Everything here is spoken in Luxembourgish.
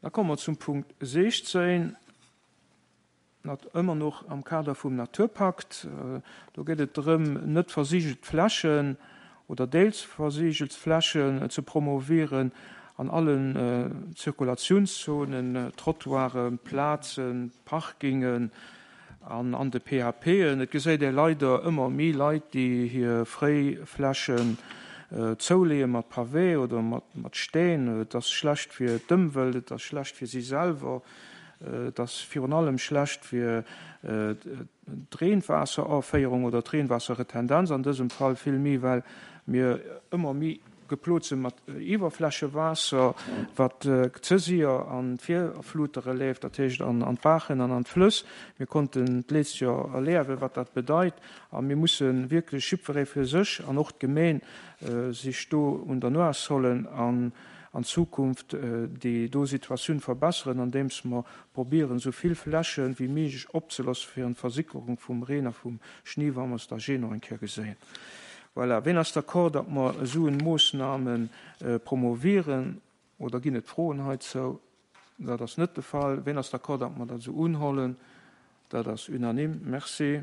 Da komme mer zum Punkt 16, nat ëmmer noch am Kader vum Naturpakt. Do geet et drëm, net versigelt Flächen oder deels versigelt Flächen ze promovieren an allen Zirkulatiounszonen, Trottoiren, Plazen, Parkingen, An an de PHPen, et geséit ee leider ëmmer méi Leit, déi hir fréi Flächen zouleeë mat Pavé oder mat Steen. Et ass schlecht fir d'Ëmwelt, et ass schlecht fir si selwer, et ass virun allem schlecht fir d'Reenwaasseraféierung oder d'Reenwaasserretendenz an dësem Fall vill méi, well mir ëmmer méi Geplot se mat Iwwerflächewaasser, wat ze sier an d'Virflutere leeft, dat heescht an d'Baachen an an d'Flëss. Mir konnten d'leescht Joer erliewen, wat dat bedeit, a mir musse wierklech jiddweree fir sech an och d'Gemeen sech do un der Nuas hollen an an Zukunft déi do Situatioun verbesseren, andeems mer probieren, esou vill Fläche wéi méiglech opzelosse fir en d'Versickerung vum Reen a vum Schni, wa mer se da jee nach eng Kéier geséien. Voilà. Ween ass d'accord, datt mer esou en Moossname promovieren? Oder ginn et Froen heizou? Dat ass net de Fall. Ween ass d'accord, datt mer dat esou unhollen? Dat ass unanime. Merci.